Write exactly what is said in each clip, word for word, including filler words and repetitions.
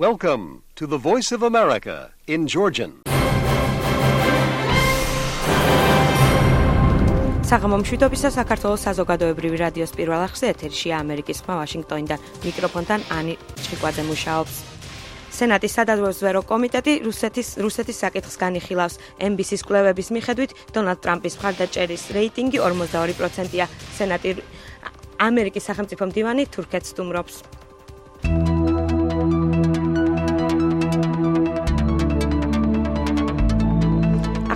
Welcome to the Voice of America in Georgian. საღამომშვიდობისა საქართველოს საზოგადოებრივი რადიოს პირველ არხზე ეთერშია ამერიკის ხმა ვაშინგტონიდან მიკროფონთან ანი ჭიკვაძე მუშაობს. სენატის სადაზვერვო კომიტეტი რუსეთის რუსეთის საკითხს განიხილავს. ემ ბი სის კვლევების მიხედვით დონალდ ტრამპის მხარდაჭერის რეიტინგი ორმოცდაორი პროცენტია. სენატი ამერიკის სახელმწიფო მდივანი თურქეთს სტუმრობს.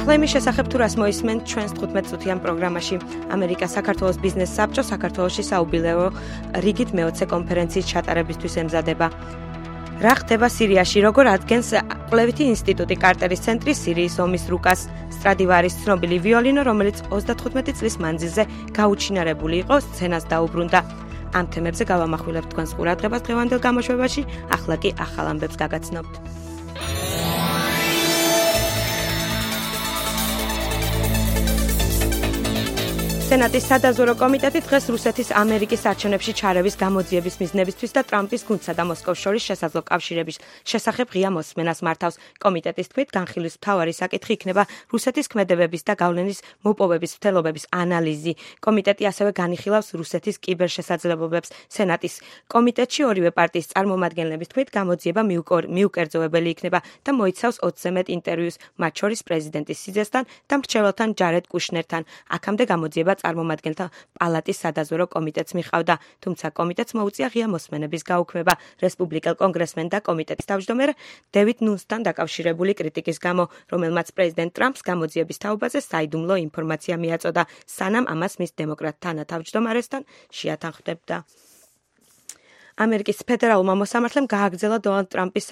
ახლა იმის შესახებ თუ რას მოისმენთ ჩვენს თხუთმეტ წუთიან პროგრამაში. ამერიკა საქართველოს ბიზნეს საბჭო საქართველოში საუბილეო რიგით მეოცე კონფერენციის ჩატარებისთვის ემზადება. რა ხდება სირიაში, როგორ ადგენს კვლევითი ინსტიტუტი კარტერის ცენტრი სირიის ომის რუკას, სტრადივარის ცნობილი ვიოლინო, რომელიც ოცდათხუთმეტი წლის მანძილზე გაუჩინარებული იყო, სცენას დაუბრუნდა. ამ თემებზე გავამახვილებთ თქვენს ყურადღებას დღევანდელ გამოშვებაში, ახლა კი ახალ ამბებს გაგაცნობთ. სენატის სადაზვერვო კომიტეტი დღეს რუსეთის ამერიკის არჩევნებში ჩარევის გამოძიების მიზნებისთვის და ტრამპის გუნდსა და მოსკოვს შორის შესაძლო კავშირების შესახებ ღია მოსმენას მართავს. კომიტეტის თქმით, განხილვის მთავარი საკითხი იქნება რუსეთის ქმედებების და გავლენის მოპოვების მცდელობების ანალიზი. კომიტეტი ასევე განიხილავს რუსეთის კიბერშესაძლებლობებს. სენატის კომიტეტში ორივე პარტიის წარმომადგენლების თქმით, გამოძიება მიუკერძოებელი იქნება და მოიცავს ოცზე მეტ ინტერვიუს, მათ შორის პრეზიდენტის სიძესთან და მრჩეველთან ჯარედ კუშნერთან. აქამდე გამოძიება წარმომადგენელთა პალატის სადაზვერვო კომიტეტს მიყავდა, თუმცა კომიტეტს მოუწია ღია მოსმენების გაუქმება რესპუბლიკელ კონგრესმენ და კომიტეტის თავმჯდომარე დევიდ ნუნსთან დაკავშირებული კრიტიკის გამო, რომელმაც პრეზიდენტ ტრამპს გამოძიების თაობაზე საიდუმლო ინფორმაცია მიაწოდა, სანამ ამას მის დემოკრატ თანათავმჯდომარესთან შეათანხმდებდა. ამერიკის ფედერალურმა მოსამართლემ გააგრძელა დონალდ ტრამპის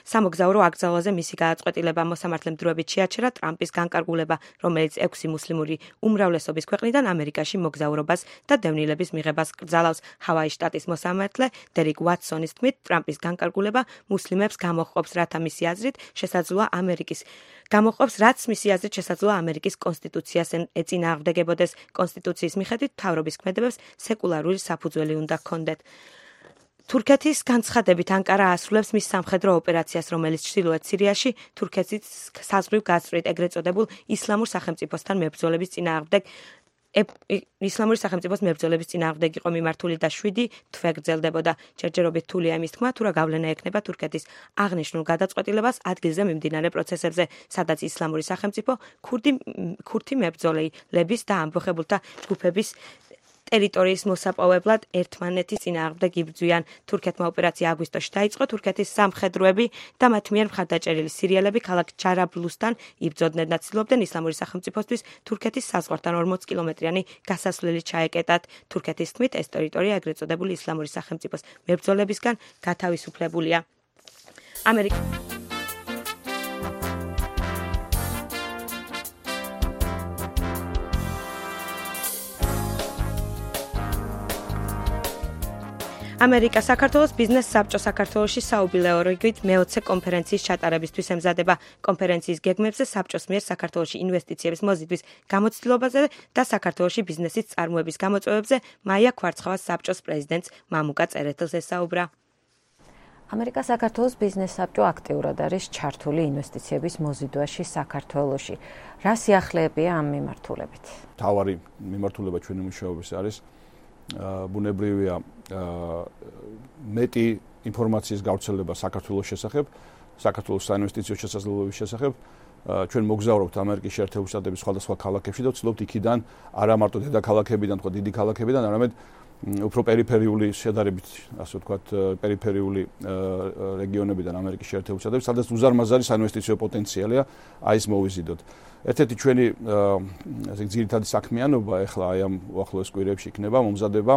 სამოგზაურო აკრძალვაზე მისი გადაწყვეტილება. მოსამართლემ დროებით შეაჩერა ტრამპის განკარგულება, რომელიც ექვსი მუსლიმური უმრავლესობის ქვეყნიდან ამერიკაში მოგზაურობას და დევნილების მიღებას კრძალავს. ჰავაის შტატის მოსამართლე დერიკ ვატსონის თქმით, ტრამპის განკარგულება მუსლიმებს გამოჰყოფს, რათა მისი აზრით შესაძლოა ამერიკის გამოჰყოფს, რაც მისი აზრით შესაძლოა ამერიკის კონსტიტუციას ეწინააღმდეგებოდეს. კონსტიტუციის მიხედვით მთავრობის ქმედებებს სეკულარული საფუძველი უნდა ჰქონდეთ. თურქეთის განცხადებით ანკარა ასრულებს მის სამხედრო ოპერაციას, რომელიც ჩრდილოეთ სირიაში თურქეთის საზღვრივ გასწვრივ ეგრეთ წოდებულ ისლამურ სახელმწიფოსთან მებრძოლების წინააღმდეგ ისლამური სახელმწიფოს მებრძოლების წინააღმდეგ იყო მიმართული და შვიდი თვე გრძელდებოდა. ჯერჯერობით რთულია იმის თქმა, თუ რა გავლენა ექნება თურქეთის აღნიშნულ გადაწყვეტილებას ადგილზე მიმდინარე პროცესებზე, სადაც ისლამური სახელმწიფო ქურდი ქურთი მებრძოლების და ამბოხებულთა ჯგუფების ტერიტორიის მოსაპოვებლად ერთმანეთის წინააღმდეგ იბრძვიან. თურქეთმა ოპერაცია აგვისტოში დაიწყო. თურქეთის სამხედროები და მათ მიერ მხარდაჭერილი სირიელები ქალაქ ჯარაბლუსთან იბრძოდნენ და ცდილობდნენ ისლამური სახელმწიფოსთვის თურქეთის საზღვართან ორმოც კილომეტრიანი გასასვლელი ჩაეკეტათ. თურქეთის თქმით, ეს ტერიტორია ეგრეთ წოდებული ისლამური სახელმწიფოს მებრძოლებისგან გათავისუფლებულია. ამერიკა ამერიკა საქართველოს ბიზნეს საბჭო საქართველოში საუბილეო რიგით მეოცე კონფერენციის ჩატარებისთვის ემზადება. კონფერენციის გეგმებზე საბჭოს მიერ საქართველოში ინვესტიციების მოზიდვის გამოცდილებაზე და საქართველოში ბიზნესის წარმოების გამოწვევებზე მაია ქვარცხავას საბჭოს პრეზიდენტს მამუკა წერეთელს ესაუბრა. ამერიკა საქართველოს ბიზნეს საბჭო აქტიურად არის ჩართული ინვესტიციების მოზიდვაში საქართველოში. რა სიახლეებია ამ მიმართულებით? თავარი მიმართულება ჩვენი მუშაობის არის ბუნებრივია მეტი ინფორმაციის გავრცელება საქართველოს შესახებ, საქართველოს საინვესტიციო შესაძლებლობების შესახებ. ჩვენ მოგზაურობთ ამერიკის შეერთებული შტატების სხვადასხვა ქალაქებში და ვცდილობთ იქიდან არა მარტო დედაქალაქებიდან, თქო დიდი ქალაქებიდან, არამედ უფრო პერიფერიული შედარებით, ასე ვთქვათ, პერიფერიული რეგიონებიდან ამერიკის შეერთებული შტატებში, სადაც უზარმაზარი საინვესტიციო პოტენციალია, აი ეს მოვიზიდოთ. ერთ-ერთი ჩვენი ასე ძირითადი საქმიანობა ახლა აი ამ უახლოეს კვირებში იქნება მომზადება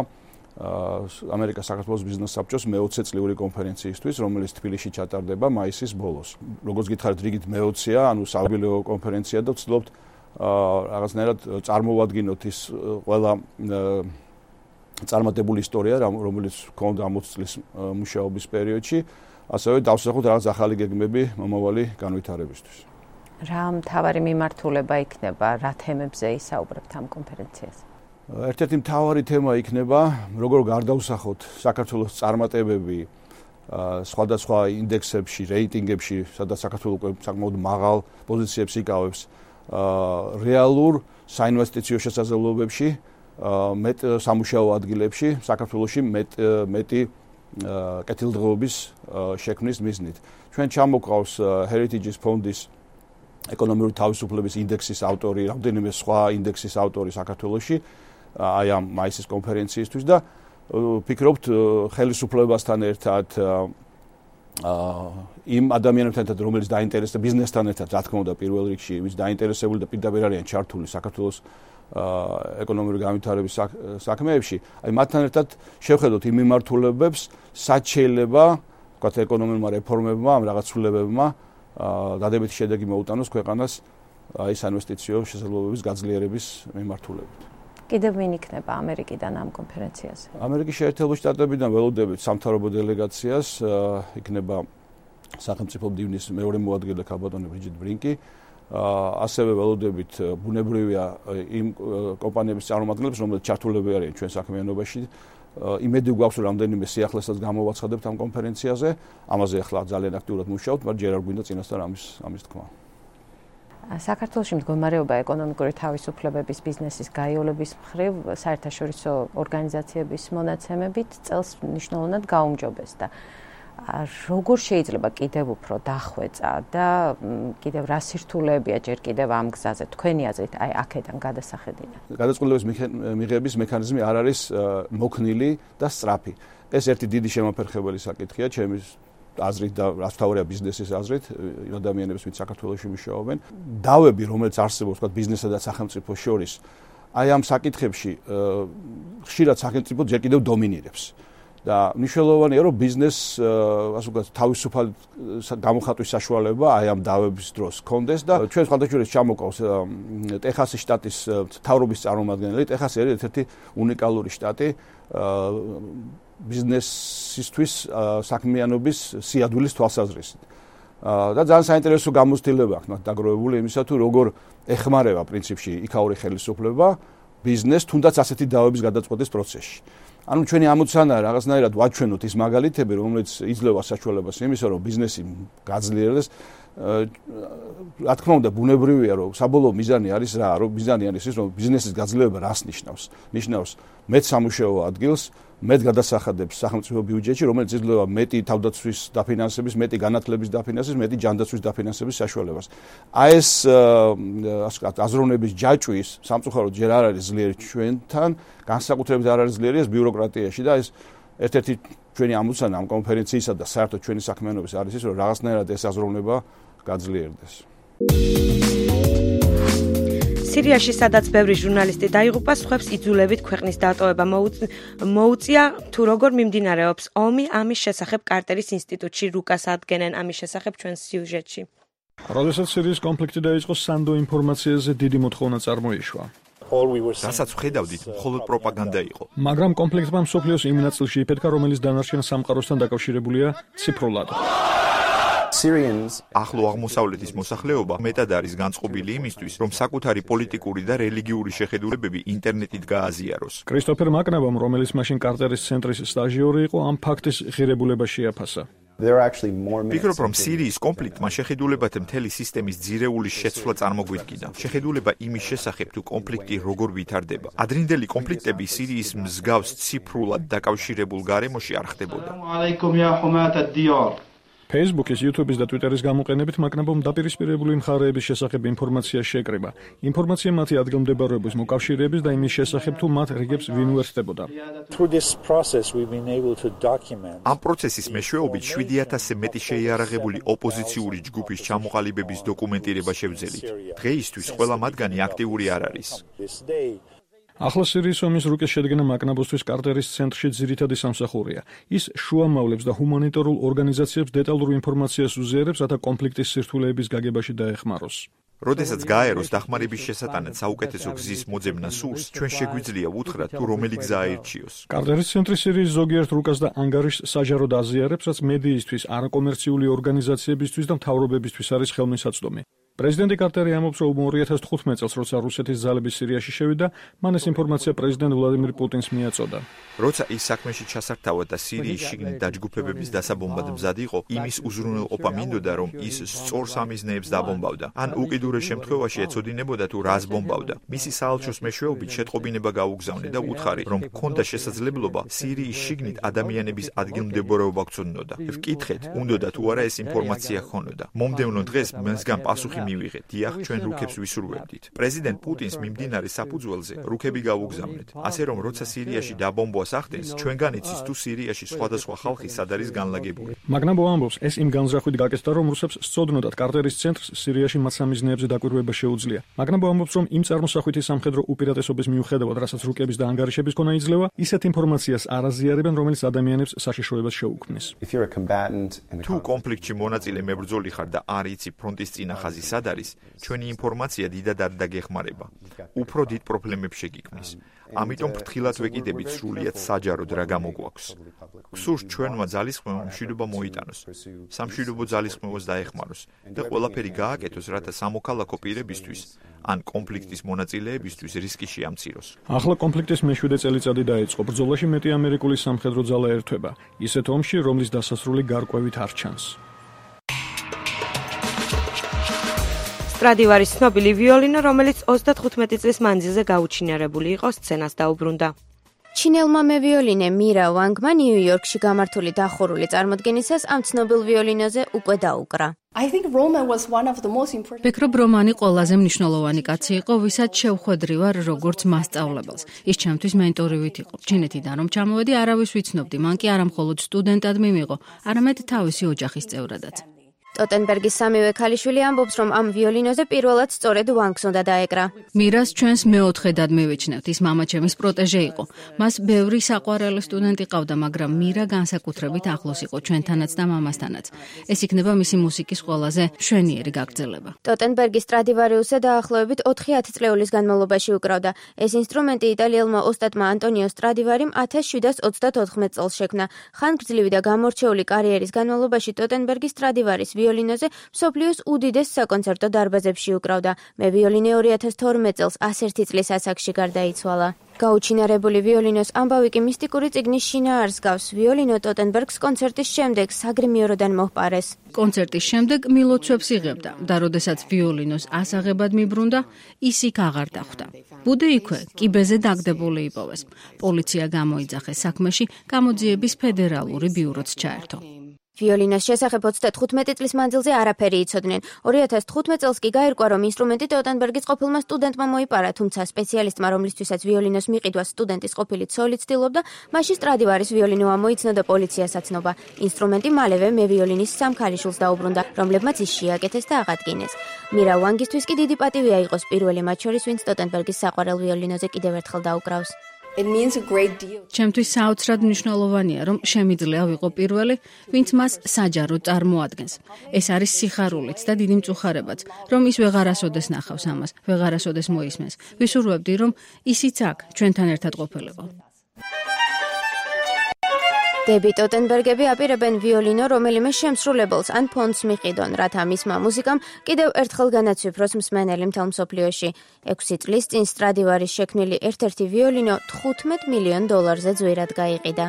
ამერიკა საქართველოს ბიზნეს საბჭოს მეოცე წლიური კონფერენციისთვის, რომელიც თბილისში ჩატარდება მაისის ბოლოს. როგორც გითხარით, რიგით მეოცეა, ანუ საუბილეო კონფერენცია და ვცდილობთ რაღაცნაირად წარმოვადგინოთ ის ყველა წარმატებული ისტორია, რომელიც ჰქონდა ამ ოცი წლის მუშაობის პერიოდში, ასევე დავსახოთ რაღაც ახალი გეგმები მომავალი განვითარებისთვის. რა მთავარი მიმართულება იქნება, რა თემებზე ისაუბრებთ ამ კონფერენციაზე? ერთ-ერთი მთავარი თემა იქნება, როგორ გარდავსახოთ საქართველოს წარმატებები სხვადასხვა ინდექსებში, რეიტინგებში, სადაც საქართველოს საკმაოდ მაღალ პოზიციებს იკავებს, რეალურ საინვესტიციო შესაძლებლობებში, მეტ სამუშაო ადგილებში, საქართველოში მეტ მეტი კეთილდღეობის შექმნის მიზნით. ჩვენ ჩამოყავს Heritage ფონდის ეკონომიკური თავისუფლების ინდექსის ავტორი, რამდენიმე სხვა ინდექსის ავტორი საქართველოში, აი ამ მაისის კონფერენციისთვის და ვფიქრობთ ხელისუფლებასთან ერთად იმ ადამიანებთან ერთად, რომელიც დაინტერესდა ბიზნესთან ერთად, რა თქმა უნდა, პირველ რიგში, ვინც დაინტერესებული და პირდაპირ არიან ჩართული საქართველოს ეკონომიკური განვითარების საქმეებში, აი მათთან ერთად შევხედოთ იმ მიმართულებებს, სად შეიძლება, ვთქვათ, ეკონომიკურმა რეფორმებმა, ამ რაღაც ცვლილებებმა დადებითი შედეგი მოუტანოს ქვეყანას აი საინვესტიციო შესაძლებლობების გაძლიერების მიმართულებით. კიდევ ვინ იქნება ამერიკიდან ამ კონფერენციაზე? ამერიკის შეერთებული შტატებიდან ველოდებით სამთავრობო დელეგაციას, იქნება სახელმწიფო მდივნის მეორე მოადგილე ქალბატონი ბრიჯიტ ბრინკი, ასევე ველოდებით ბუნებრივია იმ კომპანიების წარმომადგენლებს, რომლებიც ჩართულები არიან ჩვენ საქმიანობაში. იმედი გვაქვს, რომ რამდენიმე სიახლესაც გამოვაცხადებთ ამ კონფერენციაზე. ამაზე ახლა ძალიან აქტიურად მუშაობთ, მაგრამ ჯერ არ გვინდა წინასწარ ამის ამის თქმა. საქართველოში მდგომარეობა ეკონომიკური თავისუფლებების ბიზნესის გაიოლების მხრივ საერთაშორისო ორგანიზაციების მონაცემებით წელს მნიშვნელოვნად გაუმჯობესდა. როგორ შეიძლება კიდევ უფრო დახვეწა და კიდევ რა სირთულეებია ჯერ კიდევ ამ გზაზე თქვენი აზრით, აი აქედან გადასახედიდან? გადაწყვეტილების მიღების მექანიზმი არ არის მოქნილი და სწრაფი. ეს ერთი დიდი შემოფერხებელი საკითხია ჩემი აზრით და რაც თავია ბიზნესის აზრით, იმ ადამიანებს, ვინც საქართველოში მუშაობენ. დავები, რომელიც არსებობს, თქვა ბიზნესსა და სახელმწიფოს შორის, აი ამ საკითხებში ხშირად სახელმწიფო ჯერ კიდევ დომინირებს. და მნიშვნელოვანია, რომ ბიზნესს ასე ვთქვათ, თავისუფალ გამოხატვის საშუალება აი ამ დავების დროს ჰქონდეს და ჩვენ სხვადასხვა ჩამოყავს ტეხასის შტატის მთავრობის წარმომადგენელი. ტეხასი არის ერთ-ერთი უნიკალური შტატი ბიზნესისთვის საქმიანობის სიადვილის თვალსაზრისით. და ძალიან საინტერესო გამოცდილება აქვს მათ დაგროვებული იმისა თუ როგორ ეხმარება პრინციპში იქაური ხელისუფლება ბიზნეს თუნდაც ასეთი დავების გადაწყვეტის პროცესში. ანუ ჩვენი ამოცანა რაღაცნაირად ვაჩვენოთ ის მაგალითები, რომელიც იძლევა საშუალებას იმისა, რომ ბიზნესი გაძლიერდეს. რა თქმა უნდა, ბუნებრივია, რომ საბოლოო მიზანი არის რა, რომ მიზანი არის ის, რომ ბიზნესის გაძლიერება რას ნიშნავს? ნიშნავს მეტ სამუშაო ადგილს, მეტ გადასახადებს სახელმწიფო ბიუჯეტში, რომელიც იძლევა მეტი თავდაცვის დაფინანსების, მეტი განათლების დაფინანსების, მეტი ჯანდაცვის დაფინანსების საშუალებას. აი ეს ასე ვთქვათ, აზროვნების ჯაჭვის სამწუხაროდ ჯერ არ არის ძლიერი ჩვენთან, განსაკუთრებით არ არის ძლიერი ეს ბიუროკრატიაში და ეს ერთ-ერთი ჩვენი ამოცანა ამ კონფერენციისა და საერთოდ ჩვენი საქმიანობის არის ის, რომ რაღაცნაირად ეს აზროვნება გაძლიერდეს. სირიაში, სადაც ბევრი ჟურნალისტი დაიღუპა, სხვებს იძულებით ქვეყნის დატოვება მოუწია, თუ როგორ მიმდინარეობს ომი, ამის შესახებ კარტერის ინსტიტუტში რუკას ადგენენ ამის შესახებ ჩვენს სიუჟეტში. როდესაც სირიის კონფლიქტი დაიწყო, სანდო ინფორმაციაზე დიდი მოთხოვნა წარმოიშვა. რასაც ვხედავდით, მხოლოდ პროპაგანდა იყო. მაგრამ კონფლიქტმა მსოფლიოს იმ ნაწილში იფეთქა, რომელიც დანარჩენ სამყაროსთან დაკავშირებულია ციფრულად. ახლო აღმოსავლეთის მოსახლეობა მეტად არის განწყობილი იმისთვის, რომ საკუთარი პოლიტიკური და რელიგიური შეხედულებები ინტერნეტით გააზიაროს. კრისტოფერ მაკნაბომ, რომელიც მაშინ კარტერის ცენტრის სტაჟიორი იყო, ამ ფაქტის ღირებულება შეაფასა. ვფიქრობ, რომ სირიის კონფლიქტმა შეხედულებათა მთელი სისტემის ძირეულის შეცვლა წარმოგვიდგინა. შეხედულება იმის შესახებ, თუ კონფლიქტი როგორ ვითარდება. ადრინდელი კონფლიქტები სირიის მსგავს ციფრულად დაკავშირებულ გარემოში არ ხდებოდა. Facebook-ის, YouTube-ის და Twitter-ის გამოყენებით მაკნაბომ დაპირისპირებული მხარეების შესახებ ინფორმაცია შეკრება. ინფორმაცია მათი ადგილმდებარეობის მოკავშირეების და იმის შესახებ, თუ მათ რიგებს ვინ უერთდებოდა. ამ პროცესის მეშვეობით შვიდი ათასზე მეტი შეიარაღებული ოპოზიციური ჯგუფის ჩამოყალიბების დოკუმენტირება შევძელით. დღეისთვის ყველა მათგანი აქტიური არ არის. ახლა სირიის ომის რუკის შედგენა მაკნაბოსთვის კარტერის ცენტრში ძირითადი სამსახურია. ის შუამავლებს და ჰუმანიტარულ ორგანიზაციებს დეტალურ ინფორმაციას უზიარებს, რათა კონფლიქტის სირთულეების გაგებაში დაეხმაროს. როდესაც გააეროს დახმარების შესატანად საუკეთესო გზის მოძებნა სურს, ჩვენ შეგვიძლია ვუთხრათ, თუ რომელი გზა აირჩიოს. კარტერის ცენტრი სირიის ზოგიერთ რუკას და ანგარიშს საჯაროდ აზიარებს, რაც მედიისთვის, არაკომერციული ორგანიზაციებისთვის და მთავრობებისთვის არის ხელმისაწვდომი. პრეზიდენტი კარტერი ამბობს, რომ ორი ათას თხუთმეტ წელს, როცა რუსეთის ძალები სირიაში შევიდა, მან ეს ინფორმაცია პრეზიდენტ ვლადიმირ პუტინს მიაწოდა. როცა ის საქმეში ჩასართავად და სირიის შიგნით დაჯგუფებების დასაბომბად მზად იყო, იმის უზრუნველყოფა მინდოდა, რომ ის სწორ სამიზნეებს დაბომბავდა. ან უკიდურეს შემთხვევაში ეცოდინებოდა თუ რას ბომბავდა. მისი საელჩოს მეშვეობით შეტყობინება გაუგზავნე და უთხარი, რომ ჰქონდა შესაძლებლობა სირიის შიგნით ადამიანების ადგილმდებარეობა გწოდნოდა. ვკითხეთ, უნდოდა თუ არა ეს ინფორმაცია ჰქონოდა. მომდევნო დღეს მასგან პასუხი მივიღეთ. დიახ, ჩვენ რუქებს ვისურვებდით. პრეზიდენტ პუტინს მიმდინარე საფუძველზე რუქები გაუგზავნეთ. ასე რომ როცა სირიაში დაბომბვას ახდენს, ჩვენგან იცის თუ სირიაში სხვადასხვა ხალხი სად არის განლაგებული. მაგნაბო ამბობს, ეს იმ განზრახვით გაკეთდა, რომ რუსებს სწოდნოდათ კარტერის ცენტრს სირიაში მათ სამიზნეებზე დაკვირვება შეუძლია. მაგნაბო ამბობს, რომ იმ წარმოსახვითი სამხედრო უპირატესობის მიუხედავად, რასაც რუკების და ანგარიშების ქონა იძლევა, ისეთ ინფორმაციას არ აზიარებენ, რომელიც ადამიანებს საშიშროებას შეუქმნის. თუ კონფლიქტში მონაწილე მებრძოლი ხარ და არ იცი ფრონტის წინა ხაზი სად არის, ჩვენი ინფორმაცია დიდად არ დაგეხმარება. უფრო დიდ პრობლემებს შეგიქმნის. ამიტომ ფრთხილად ვეკიდებით სრულიად საჯაროდ რა გამოგვაქვს. გსურს ჩვენმა ძალისხმევამ მშვიდობა მოიტანოს, სამშვიდობო ძალისხმევას დაეხმაროს და ყველაფერი გააკეთოს, რათა სამოქალაქო პირებისთვის ან კონფლიქტის მონაწილეებისთვის რისკი შეამციროს. ახლა კონფლიქტის მეშვიდე წელიწადი დაიწყო. ბრძოლაში მეტი ამერიკული სამხედრო ძალა ერთვება. ისეთ ომში, რომლის დასასრული გარკვევით არ ჩანს. სტრადივარის ცნობილი ვიოლინო, რომელიც ოცდათხუთმეტი წლის მანძილზე გაუჩინარებული იყო, სცენას დაუბრუნდა. ჩინელმა მევიოლინე მირა ვანგმა ნიუ-იორკში გამართული დახურული წარმოდგენისას ამ ცნობილ ვიოლინოზე უკვე დაუკრა. ვფიქრობ, რომანი ყველაზე მნიშვნელოვანი კაცი იყო, ვისაც შევხვედრი ვარ როგორც მასწავლებელს. ის ჩემთვის მენტორივით იყო. ჩინეთიდან რომ ჩამოვედი, არავის ვიცნობდი, მან კი არა მხოლოდ სტუდენტად მიმიღო, არამედ თავისი ოჯახის წევრადაც. ტოტენბერგის სამივე ქალიშვილი ამბობს, რომ ამ ვიოლინოზე პირველად სწორედ ვანგს უნდა დაეკრა. მირას ჩვენს მეოთხედად მივიჩნევთ, ის მამაჩემის პროტეჟე იყო. მას ბევრი საყვარელი სტუდენტი ყავდა, მაგრამ მირა განსაკუთრებით ახლოს იყო ჩვენთანაც და მამასთანაც. ეს იქნება მისი მუსიკის ყველაზე მშვენიერი გაგრძელება. ტოტენბერგი სტრადივარიუსზე დაახლოებით ოთხი ათწლეულის განმავლობაში უკრავდა. ეს ინსტრუმენტი იტალიელმა ოსტატმა ანტონიო სტრადივარიმ ათას შვიდას ოცდაოთხმეტ წელს შექმნა. ხანგრძლივი და გამორჩეული კარიერის განმავლობაში ტოტენბერგი სტრადივარის ვიოლინოზე მსოფლიოს უდიდეს საკონცერტო დარბაზებში უკრავდა. მე ვიოლინე ორი ათას თორმეტ წელს ასერთი წლის ასაკში გარდაიცვალა. გაუჩინარებული ვიოლინოს ამბავი კი მისტიკური წიგნის შინაარს გავს. ვიოლინო ტოტენბერგს კონცერტის შემდეგ საგრიმიეროდან მოჰპარეს. კონცერტის შემდეგ მილოცვებს იღებდა და როდესაც ვიოლინოს ასაღებად მიბრუნდა, ის იქ აღარ დახვდა. ბუდე იქვე, კიბეზე დაგდებული იპოვეს. პოლიცია გამოიძახეს საქმეში, გამოძიების ფედერალური ბიუროც ჩაერთო. ვიოლინოს შესახებ ოცდათხუთმეტი წლის მანძილზე არაფერი იცოდნენ. ორი ათას თხუთმეტ წელს კი გაირკვა, რომ ინსტრუმენტი ტოტენბერგის ყოფილმა სტუდენტმა მოიპარა, თუმცა სპეციალისტმა, რომლისთვისაც ვიოლინოს მიყიდვას სტუდენტის ყოფილი ცოლი ცდილობდა, მასში სტრადივარის ვიოლინო ამოიცნო და პოლიციას აცნობა. ინსტრუმენტი მალევე მე ვიოლინის სამ ქალიშვილს დაუბრუნდა, რომლებმაც ის შეაკეთეს და აღადგინეს. მირა ვანგისთვის კი დიდი პატივია იყოს პირველი მათ შორის, ვინც ტოტენბერგის საყვარელ ვიოლინოზე კიდევ ერთხელ დაუკრავს. ჩემთვის საოცრად მნიშვნელოვანია, რომ შემიძლია ვიყო პირველი, ვინც მას საჯაროდ წარმოადგენს. ეს არის სიხარულიც და დიდი მწუხარებაც, რომ ის ვეღარასოდეს ნახავს ამას, ვეღარასოდეს მოისმენს. ვისურვებდი, რომ ისიც აქ ჩვენთან ერთად ყოფილიყო. დები ტოტენბერგები აპირებენ ვიოლინო რომელიმე შემსრულებელს ან ფონდს მიყიდონ, რათა მისმა მუსიკამ კიდევ ერთხელ განაცვიფროს მსმენელი მთელ მსოფლიოში. ექვსი წლის წინ სტრადივარის შექმნილი ერთ-ერთი ვიოლინო თხუთმეტ მილიონ დოლარზე ძვირად გაიყიდა.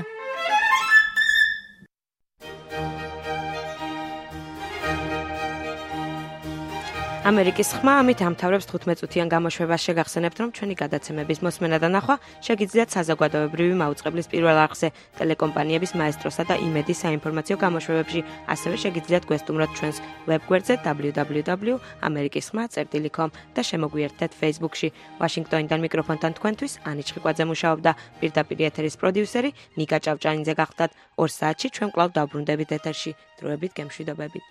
ამერიკის ხმა ამით ამთავრებს თხუთმეტ წუთიან გამოშვებას. შეგახსენებთ, რომ ჩვენი გადაცემების მოსმენა და ნახვა შეგიძლიათ საზოგადოებრივი მაუწყებლის პირველ არხზე, ტელეკომპანიების მაესტროსა და იმედის საინფორმაციო გამოშვებებში. ასევე შეგიძლიათ გვესტუმროთ ჩვენს ვებგვერდზე დაბლიუ დაბლიუ დაბლიუ წერტილი ამერიკის ხმა წერტილი კომ და შემოგვიერთდეთ Facebook-ში. ვაშინგტონიდან მიკროფონთან თქვენთვის ანი ჩხიკვაძე მუშაობდა. პირდაპირ ეთერის პროდიუსერი ნიკა ჭავჭანიძე გახდათ. ორ საათში ჩვენ კვლავ დავბრუნდებით ეთერში. დროებით გემშვიდობებით.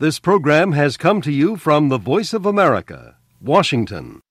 This program has come to you from the Voice of America, Washington.